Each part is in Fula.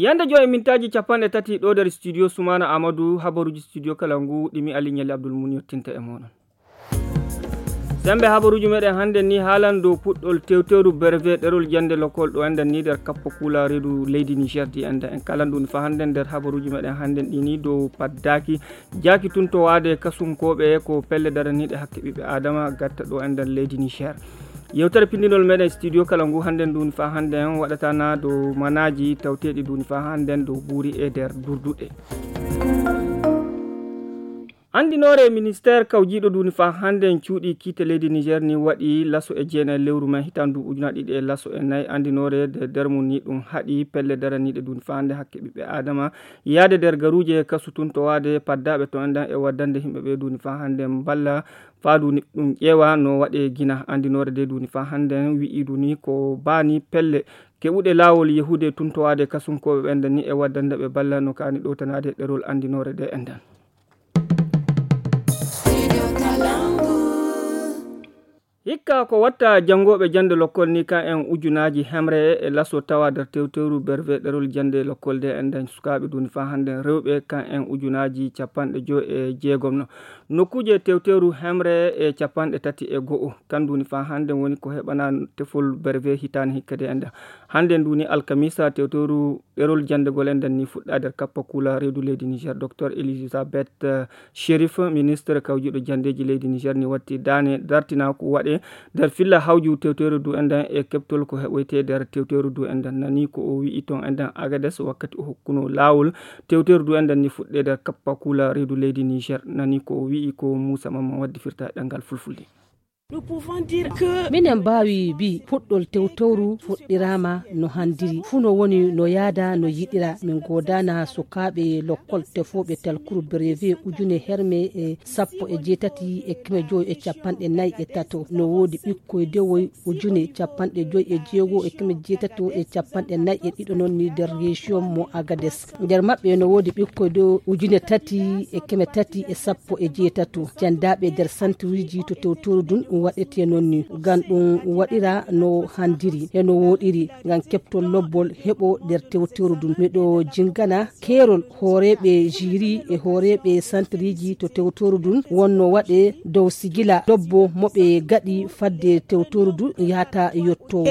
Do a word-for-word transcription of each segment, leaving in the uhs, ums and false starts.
Ñande joy e mintaaji capanɗe tati ɗo nder studio Sumaana Amadou, habaruuji studio kala ngu ɗimi Ali Ñali Abdul Mun yottinta e mooɗon. Sembe habaruuji meɗen hannde ni haalan dow puɗɗol tewtewru berve ɗerol jannde lokol ɗo enɗen ni nder kappa kula reedu leydi Niger di enɗen. En kalan ɗum fa hannde nder habaruuji meɗen hannde ɗi ni dow paddaaki jaaki tun to waade kasunkooɓe ko pelle daraniiɗe hakke ɓiɓɓe Adama gatta ɗo enɗen leydi Niger. Yewtere pindinol meɗen studio kala ngu hannde nduni fa hannde en waɗatana dow manaaji tawteeɗi nduni fa hannde dow buuri e nder durduɗe. Anndinoore ministeer kawjiiɗo nduni fa hannde en cuuɗi kiite leydi Niger ni waɗi laso e jeenayi lewru men hitaan ndu ujunaaji ɗiɗi e laso e nayi. Anndinoore nde nder mum ni ɗum haɗi pelle daraniiɗe nduni fa hannde hakke ɓiɓɓe Adama yaade nder garuuje kasu tun to waade paddaaɓe to enɗan e waddande yimɓe ɓe nduni fa hannde mballa faa nduni ɗum ƴeewa no waɗe gina. Anndinoore nde nduni fa hannde en wi'i nduni ko baani pelle keɓuɗe laawol yahude tun to waade kasunkooɓe ɓen ni e waddande ɓe balla no kaani ɗowtanaade ɗerol anndinoore nde enɗan. Hikka ko watta janngooɓe jannde lokkol ni kan en ujunaaji hemre e laso tawa nder tewtewru berve ɗerol jannde lokkol nde enɗan sukaaɓe nduni fa hannde rewɓe kan en ujunaaji capanɗe joy e jeegom no. Nokkuuje tewtewru hemre e capanɗe tati e go'o kan nduni fa hannde woni ko heɓana tefol berve hitaani hikka nde enɗan. Hannde nduni alkamisa tewtewru ɗerol janndegol enɗan ni fuɗɗa nder kappa kula reedu leydi Niger. Docteur Elisabeth, eh, Sherif, ministre kawjuɗo janndeeji leydi Niger ni watti daane dartina ko waɗe nder filla hawju tewtewru ndu enɗan e keɓtol ko heɓoyte nder tewtewru ndu enɗan. Nani ko o wi'i ton enɗan Agades wakkati o hokkuno laawol tewtewru ndu enɗan ni fuɗɗe nder kappa kula reedu leydi Niger. Nani ko o wi'i ko Moussa Mamman waddi firta e ɗanngal fulfulde. Minen mbaawi mbi puɗɗol tewtowru fuɗɗiraama no handiri. Fuu no woni no yaada no yiɗira. Min goodaana sukaaɓe lokkol tefooɓe talkuru brevet ujune herme e sappo e jeetati e keme joy e capanɗe nayi e tato. No woodi ɓikkoy dewoy ujune capanɗe joy e jeego e keme jeetato e capanɗe nayi e ɗiɗo noon ni nder région mo Agades. Nder maɓɓe no woodi ɓikkoy dewoy ujune tati e keme tati e sappo e jeetato. Jandaaɓe nder santiruuji to tewtoru ndun waɗetee noon ni. Ngam ɗum waɗira no handiri e no wooɗiri. Ngam keɓtol lobbol heɓo nder tewtoru ndun. Miɗo jingana keerol hooreeɓe jiri e hooreeɓe santiriiji to tewtoru ndun wonno waɗe dow sigila lobbo mo ɓe gaɗi fadde tewtoru ndun yahata yotto.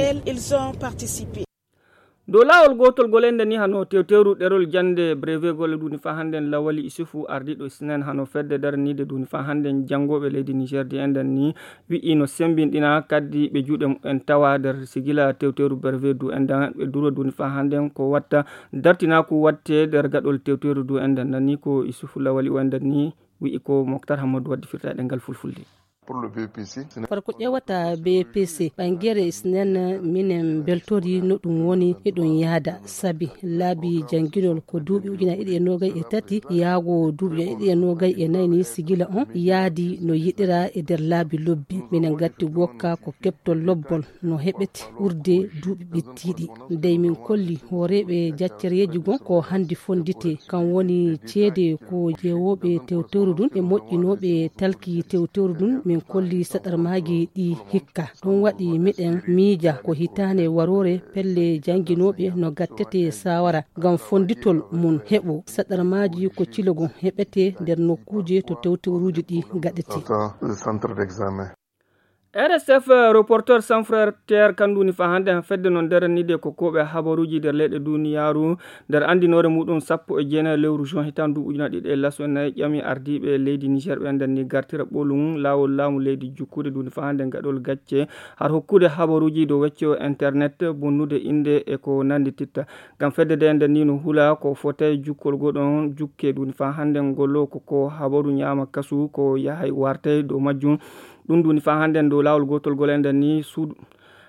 Dow laawol gootol gol enɗan ni hano tewtewru ɗerol jannde brevet gol nduni fa hannden Lawali Isufu ardiiɗo Sinen hano fedde daraniide nduni fa hannden janngooɓe leydi Niger di enɗan ni wi'i no semmbinɗina kaddi ɓe juuɗe mumen tawa nder sigila tewtewru brevet du enɗan ɓe duro nduni fa hannden ko watta dartinaaku watte nder gaɗol tewtewru du enɗan nani ko Isufu Lawali o enɗan ni wi'i ko Moktar Hammadu waddi firta e ɗemngal fulfulde. Kono ko ƴeewata B P C ɓangere Sinen minen mbeltori no ɗum woni e ɗum yahda sabi laabi jannginol ko duuɓi ujunaaji ɗiɗi e noogay e tati yahgo duuɓi ujunaaji ɗiɗi e noogay e nayi ni sigila on yahdi no yiɗira e nder laabi lobbi. Minen ngatti gokka ko keɓtol lobbol no heɓete ɓurde duuɓi ɓittiiɗi. Dey min kolli hooreeɓe jaccereeji gon ko hanndi fonndite, kam woni ceede ko jeewooɓe tewtewru ndun e moƴƴinooɓe talki tewtewru ndun. Min kolli saɗarmaaji ɗi hikka. Ɗum waɗi miɗen miija ko hitaande waroore pelle jannginooɓe no gattete saawara ngam fonnditol mum heɓo saɗarmaaji ko cilogon heɓete nder nokkuuje to tewtewruuji ɗi gaɗete. R S F, Reporters Sans Frontières, kannduni fa hannde han fedde non nderanide ko koɓe habaruuji nder leyɗe duniyaaru. Nder anndinoore muɗum sappo e jeenayi lewru juin hitaande ndu ujunaaji ɗiɗi e laso e nayi ƴami ardiiɓe leydi Niger ɓe nden ni gartira ɓolum laawol laamu leydi jukkude nduni fa hannde gaɗol gacce har hokkude habaruuji dow wecco internet bonnude innde e ko nanndititta. Ngam fedde nde nden ni no hula ko fotay jukkol goɗon jukke nduni fa hannde ngollo ko ko habaru ñaama kasu ko yahay wartay dow majjum. Ɗum nduni fa hannden dow laawol gootol gol enɗan ni suudu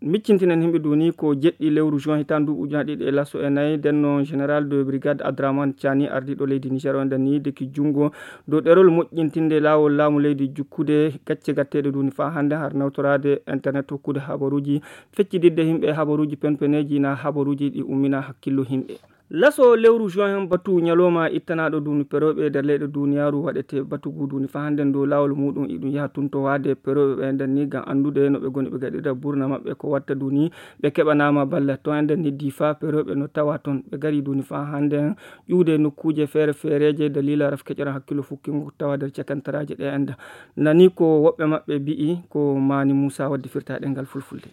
miccintinen himɓe nduni ko jeɗɗi lewru juin hitaande ndu ujunaaji ɗiɗi e laso e nayi ndenno général de brigade Adraman Cani ardiiɗo leydi Niger o enɗan ni deki junngo dow ɗerol moƴƴintinde laawol laamu leydi jukkude gacce gatteeɗe nduni fa hannde har nawtoraade internet hokkude habaruuji feccididde himɓe habaruuji penpeneeji na habaruuji ɗi ummina hakkillo himɓe. Laso lewru juin hen batu ñalawma ittanaaɗo duuni perooɓe e nder leyɗe duuniyaaru waɗete batu ngu duuni faa hannden dow laawol muuɗum iɗum yaha tun to waade perooɓe ɓe nden ni ngam anndude no ɓe ngoni ɓe gaɗira burna maɓɓe ko watta duuni ɓe keɓanaama balla to enden ni Difa perooɓe no tawa ton ɓe ngari duuni faa hannden ƴuwde nokkuuje feere feereeje daliila raf keƴoran hakkillo fukkingo tawa nder cakantaraaje ɗe enda nani ko woɓɓe maɓɓe mbi'i ko Maani Muusa waddi firtaaɗe ngal fulfulde.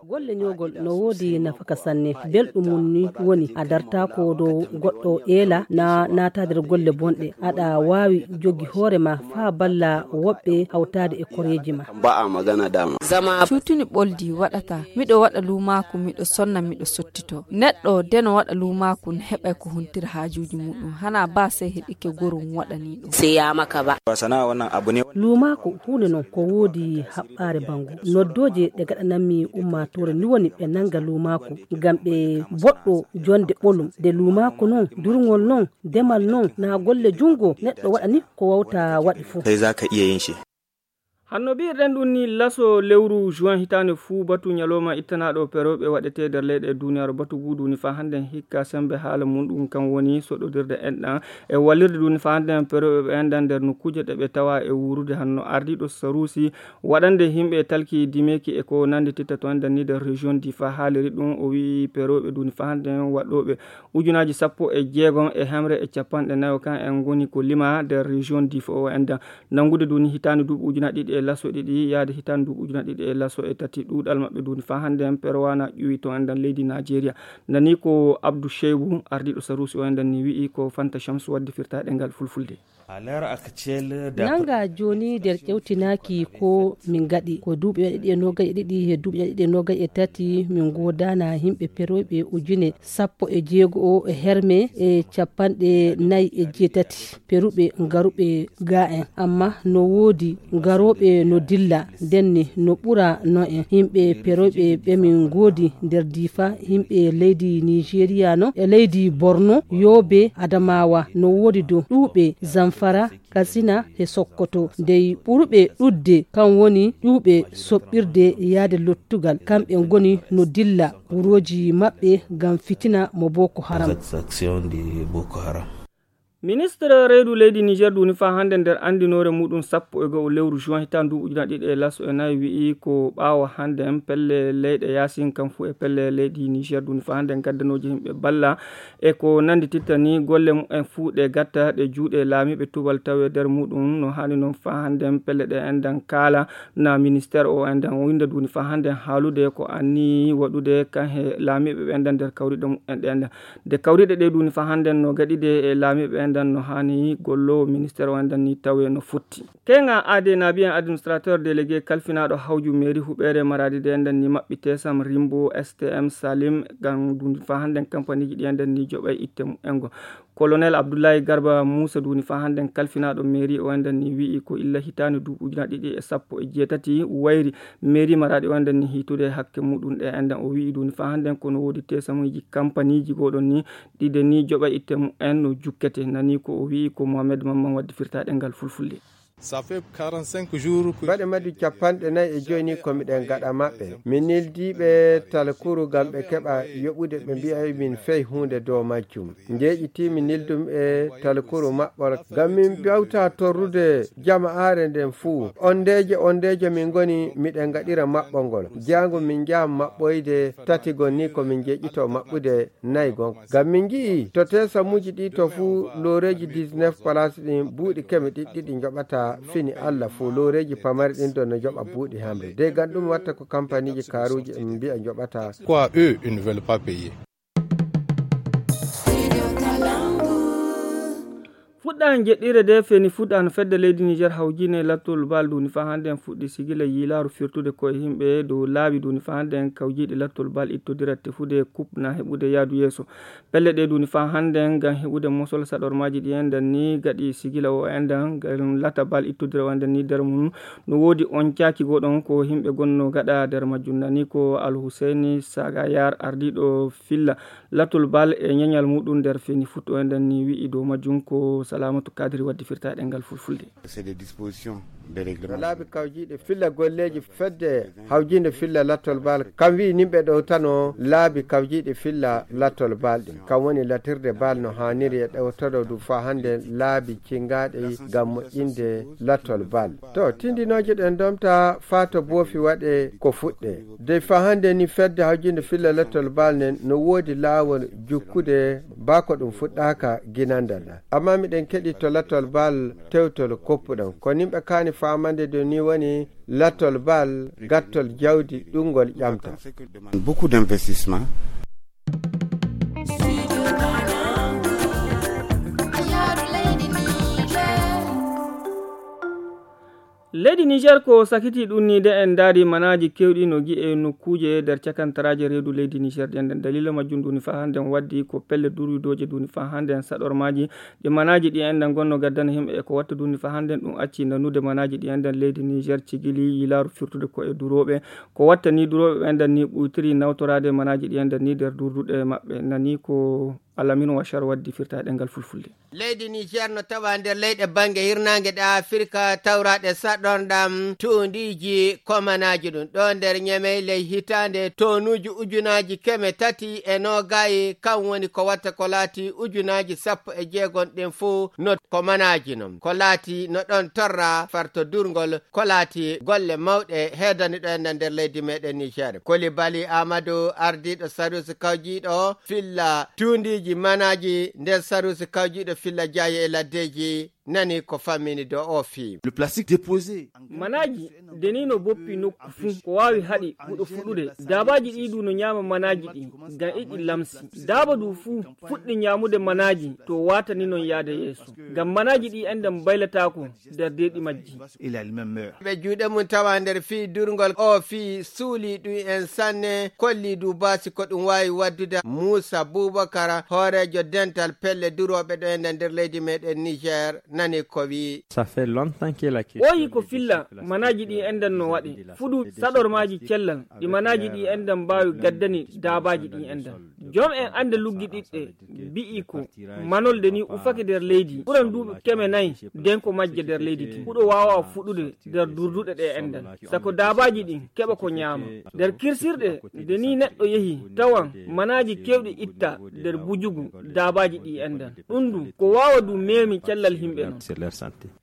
Golle ñoogol no woodi nafaka sanne. Belɗum mum ni woni a dartaako dow goɗɗo eela na naata nder golle bonɗe. Aɗa waawi jogi hoore ma faa balla woɓɓe hawtaade e koreeji ma. Cuutuni ɓoldi waɗata miɗo waɗa luumaaku miɗo sonna miɗo sottito. Neɗɗo de no waɗa luumaaku no heɓay ko huntira haajuuji muuɗum. Hanaa baa sey heɗike gorum waɗanii ɗum. Luumaaku huunde non ko woodi haɓɓaare banngu. Noddooje ɗe gaɗanammi ummaatoore ni woni ɓe nannga luumaaku ngam ɓe boɗɗo jonnde ɓolum. De luumaaku non, durngol non, demal non, na golle junngo neɗɗo waɗani ko wawta waɗi fuu. Hanno mbiyirɗen ɗum ni laso lewru juin hitaande fuu batu ñalawma ittanaaɗo perooɓe waɗetee nder leyɗe e duuniyaaru batu ngu duuni faa hannden hikka semmbe haala mum ɗum kan woni soɗodirde enɗan e wallirde duuni faa hannden perooɓe ɓe enɗan nder nokkuuje ɗe ɓe tawa e wuurude hanno ardiiɗo saruusi waɗande yimɓe talki dimeeki e ko nanndititta to enɗan ni nder région Difa haaliri ɗum o wi'i perooɓe duuni faa hannden waɗooɓe ujunaaji sappo e jeegom e hemre e capanɗe nayo kan en ngoni ko lima nder région Difa o enɗan. Nanngude duuni hitaande duuɓi ujunaaji ɗiɗi e laso ɗiɗi yahde hitaande duuɓi ujunaaji ɗiɗi e laso e tati ɗuuɗal maɓɓe duuni faa hannden perwana ƴuwi to enɗan leydi Naajeeriya. Nani ko Abdu Sheybu ardiiɗo saruusi o enɗan ni wi'i ko Fanta Shamsu waddi firtaaɗe ngal fulfulde. Nannga jooni nder ƴewtinaaki ko min ngaɗi ko duuɓi ɗiɗi e noogay e ɗiɗi he duuɓi ɗiɗi e noogay e tati min ngoodaana yimɓe perooɓe ujune sappo e jeego o e herme e capanɗe nayi e jeetati peruɓe ngaruɓe ga en amma no woodi garooɓe no dilla ndenne no ɓura no en yimɓe perooɓe ɓe min ngoodi nder Difa yimɓe leydi Nigeria no e leydi Borno Yobe Adamawa no woodi dow ɗuuɓe Zamfara Katsina he Sokoto dey ɓuruɓe ɗuuɗde kan woni ƴuwɓe soɓɓirde yahde lottugal kamɓe ngoni no dilla wurooji maɓɓe ngam fitina mo Boko Haram. Ministre reedu leydi Niger duuni faa hannde nder anndinoore muɗum sappo e go'o lewru juin hitaande nduuɓu ujunaaji ɗiɗi e laso e nayi wi'i ko ɓaawo hannde pelle leyɗe yaasin kam fuu e pelle leydi Niger duuni faa hannde gaddanooji yimɓe balla e ko nanndititta ni golle mumen fuu ɗe gatta ɗe juuɗe laamiiɓe tubal tawe nder muɗum no haani noon faa hannde pelle ɗe enɗan kaala na ministeer o enɗan winnda duuni faa hannde haalude ko anni waɗude kan he laamiiɓe ɓe enɗan nder kawriɗe mumen ɗe enɗan de kawriɗe ɗe duuni faa hannde no gaɗide e laamiiɓe enɗan no haani gollowo ministeer o enɗan ni tawe no fotti. Keŋa aade naabi en administrateur délégué kalfinaaɗo hawju mairie huɓeere maraadi de enɗan ni maɓɓi tesam rimbo stm salim ngam duuni faa hannden kampaniiji ɗi enɗan ni joɓay itte mumen ngo. Colonel Abdullahi Garba Muusa duuni faa hannden kalfinaaɗo mairie o enɗan ni wi'i ko illa hitaande duuɓi ujunaaji ɗiɗi e sappo e jeetati wayri mairie maraadi o enɗan ni hiitude hakke muɗum ɗe enɗan o wi'i duuni faa hannden kono woodi tesamuuji kampaniiji goɗon ni ɗiɗe ni joɓa itte mumen no jukkete nani ko o wi'i ko Mohamed Mamman waddi firtaaɗe ngal fulfulde. Mbaɗe madi capanɗe nayi e joyi ni ko miɗen gaɗa maɓɓe mi nildiiɓe talkuru ngam ɓe keɓa yoɓude ɓe mbi'ay min fey huunde dow majjum njeeƴiti mi nildum e talkuru maɓɓol ngam min mbawta torrude jama'aare nden fuu ondeeje ondeeje min ngoni miɗen ngaɗira maɓɓol ngol jaango min njaha maɓɓoyde tati gon ni ko min njeeƴito maɓɓude nayi gon ngam min ngi'i to teesamuuji ɗi to fuu looreeji dix-neuf palaas ɗin buuɗi keme ɗiɗɗiɗi njoɓata fini Allah fuu looreeji pamari ɗin ɗon no njoɓa buuɗi hamre dey ngam ɗum watta ko kampaniiji kaaruuji en mbi'a njoɓata. Quoi eux ils ne veulent pas payer. Fuɗɗa jeɗɗire de feni fuɗɗa no fedde leydi Niger hawjine lattol bal duni fa hande en fuɗɗi sigila yiilaaru firtude koye yimɓe dow laabi duni fa hande en kawjiiɗi lattol bal ittodira tefude coupe na heɓude yaadu yeeso. Pelle ɗe duni fa hande en ngam heɓude mosol saɗormaaji ɗi enɗan ni gaɗi sigila o enɗan ngam lata bal ittodira o enɗan ni nder mum no woodi on caaki goɗon ko yimɓe gonno gaɗa nder majjum nani ko Alhuseyni Sagayar ardiiɗo filla lattol bal e ñañal muɗum nder feni fuɗɗo enɗan ni wi'i dow majjum ko Salamatu Kadiri waddi firtaaɗe ngal fulfulde. C'est des dispositions No laabi kawjiiɗi filla golleeji fedde hawjiinde filla lattol baal, kam wi'i nimɓe ɗowtano laabi kawjiiɗi filla lattol baal ɗin. Kam woni latirde baal no haaniri e ɗowtoro du faa hannde laabi cingaaɗi ngam moƴƴinde lattol baal. To, tindinooje ɗen domta faa to boofi waɗe ko fuɗɗe. Dey faa hannde ni fedde hawjiinde filla lattol baal nen no woodi laawol jukkude baa ko ɗum fuɗɗaaka ginandal. Amma miɗen keɗi to lattol baal tewtol koppuɗon. Ko nimɓe kaani faamande de ni woni lattol baal, gattol jawdi, ɗum ngol ƴamta. Beaucoup d'investissement. Leydi Niger ko sakiti ɗum ni de en ndaari manaaji keewɗi no gi'e nokkuuje nder cakantaraaje reedu leydi Niger ɗen. Nden dalila majjum duni faa hannde en waddi ko pelle durwidooje duni faa hannde en saɗormaaji. Ɗi manaaji ɗi enɗan gonno gaddana himɓe e ko watta duni faa hannde en ɗum acci nanude manaaji ɗi enɗan leydi Niger cigili yilaaru firtude ko e durooɓe. Ko watta ni durooɓe ɓe enɗan ni ɓuytiri nawtoraade manaaji ɗi enɗan ni nder durduɗe maɓɓe. Nani ko Alamino Wachar waddi firta e ɗemngal fulfulde. Leydi Niger no tawa nder leyɗe bannge hirnaange ɗe Afirka tawraaɗe saɗorɗam tuundiiji komanaaji ɗum. Ɗo nder Ñemey ley hitaande toonuuji ujunaaji keme tati e noogayi, kam woni ko watta ko laati ujunaaji sappo e jeegom ɗin fuu no komanaaji non. Ko laati no ɗon torra farto durngol, ko laati golle mawɗe heedani ɗo en nder leydi meɗen Niger. Koli Bali Amadou, ardiiɗo sarusi kawjiiɗo filla tuundiiji manaaji nder sarusi kawjiiɗo filla jaaye e laddeeji, nani ko fammini do o fii. Le plastique déposé. Manaaji denii no boppi nokku fuu, ko waawi haɗi huɗo fuɗude. Daabaaji ɗi du no ñaama manaaji ɗi, ngam iɗi lamsi. Daaba du fuu fuɗɗi ñaamude manaaji, to waatani non yaade yeeso. Ngam manaaji ɗi enɗan baylataako nder deeɗi majji. Il a lui-même meurt. Ɓe juuɗe mum tawa nder fii durngol o fii suuli ɗum en sanne, kolli du baasi ko ɗum waawi waddude. Muusa Bubakar, hooreejo dental pelle durooɓe ɗo e nder leydi meɗen Niger, nani ko wii. Ça fait longtemps que la question. Ɓooyi ko filla manaaji ɗi enɗan no waɗe. Fuɗu saɗormaaji cellal, ɗi manaaji ɗi enɗan mbaawi gaddani daabaaji ɗi enɗan. Joom en annde luggiɗiɗɗe mbi'i ko manolde ni ufake nder leydi ɓuran duuɓi keme nayi, nden ko majje nder leydi din. Huɗo waawa fuɗude nder durduɗe ɗe enɗan. Sako daabaaji ɗin keɓa ko ñaama. Nder kirsirɗe, nde ni neɗɗo yehi, tawan manaaji keewɗi itta nder bujugu daabaaji ɗi enɗan. Ɗum du, ko waawa du meemi cellal himɓe non.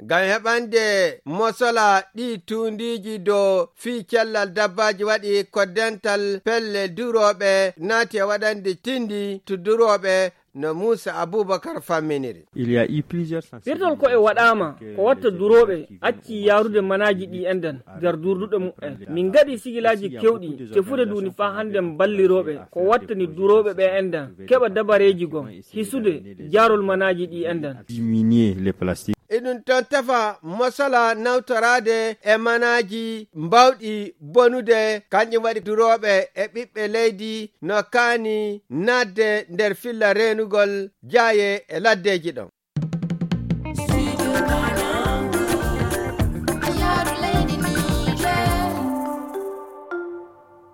Ngam heɓande mosola ɗi tuundiiji dow fii cellal dabbaaji waɗi ko dental pelle durooɓe naati e waɗande tindi to durooɓe no Muusa Abubakar famminiri. Il y a eu plusieurs sensibilisations. Firtol ko e waɗaama ko watta durooɓe acci yaarude manaaji ɗi enɗan nder durduɗe muɓɓen. Min ngaɗi sigilaaji keewɗi tefude duuni faa hannde mballirooɓe ko wattani durooɓe ɓe enɗan keɓa dabareeji gom hisude jaarol manaaji ɗi enɗan. Diminuer les plastiques. Eɗum toon tefa mosola nawtoraade e manaaji mbawɗi bonude, kanƴum waɗi durooɓe e ɓiɓɓe leydi no kaani naatde nder filla reenugol jaaye e laddeeji ɗon.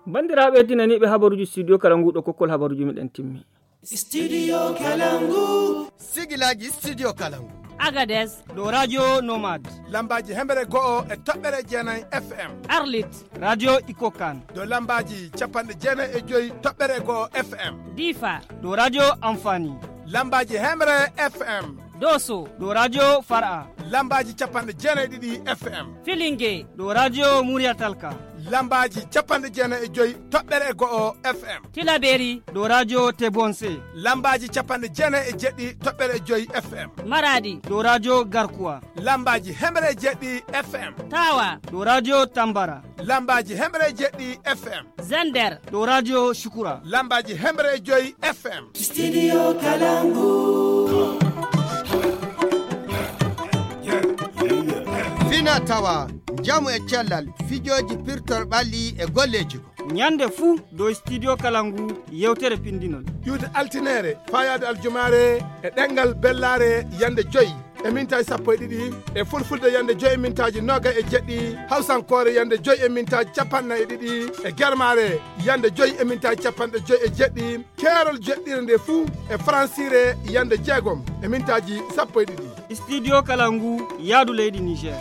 Banndiraaɓe tinaniiɓe habaruuji studio kala nguuɗo kokkol habaruuji meɗen timmi. Studio Kalangu. Sigilaaji Studio Kalangu. Agadez. Ɗo Radio Nomad. Lambaaji hemɓere go'o e toɓɓere jeenayi F M. Arlit. Radio Ikokan. Ɗo lambaaji capanɗe jeenayi e joyi toɓɓere go'o F M. Difa. Ɗo Radio Amfani. Lambaaji hemre F M. Doso. Ɗo Radio Far'a. Lambaaji capanɗe jeenayi ɗiɗi F M. Filinge. Ɗo Radio Murya Talka. Lambaaji capanɗe jeenayi e joyi toɓɓere e go'o F M. Tilaberi. Ɗo Radio Tebonse. Lambaaji capanɗe jeenayi e jeɗɗi toɓɓere e joyi F M. Maradi. Ɗo Radio Garkuwa. Lambaaji hemre e jeɗɗi F M. Tawa. Ɗo Radio Tambara. Lambaaji hemre e jeɗɗi F M. Zander. Ɗo Radio Shukura. Lambaaji hemre e joyi F M. Studio Kalangu. Fina tawa, njamu e cellal, fijooji pirtol ɓalli e golleeji ko. Ñande fuu dow Studio Kalangu yewtere pindinol. Iwde altineere, fayaade aljumaare e ɗemngal bellaare yande joyi e mintaaji sappo e ɗiɗi, e fulfulde yande joyi e mintaaji noogay e jeɗɗi, hawsankoore yande joyi e mintaaji capanɗe nayi e ɗiɗi, e germaare yande joyi e mintaaji capanɗe joyi e jeɗɗi, keerol jeɗɗire nde fuu e faransiire yande jeegom e mintaaji sappo e ɗiɗi. Studio Kalangu, yaadu leydi Niger.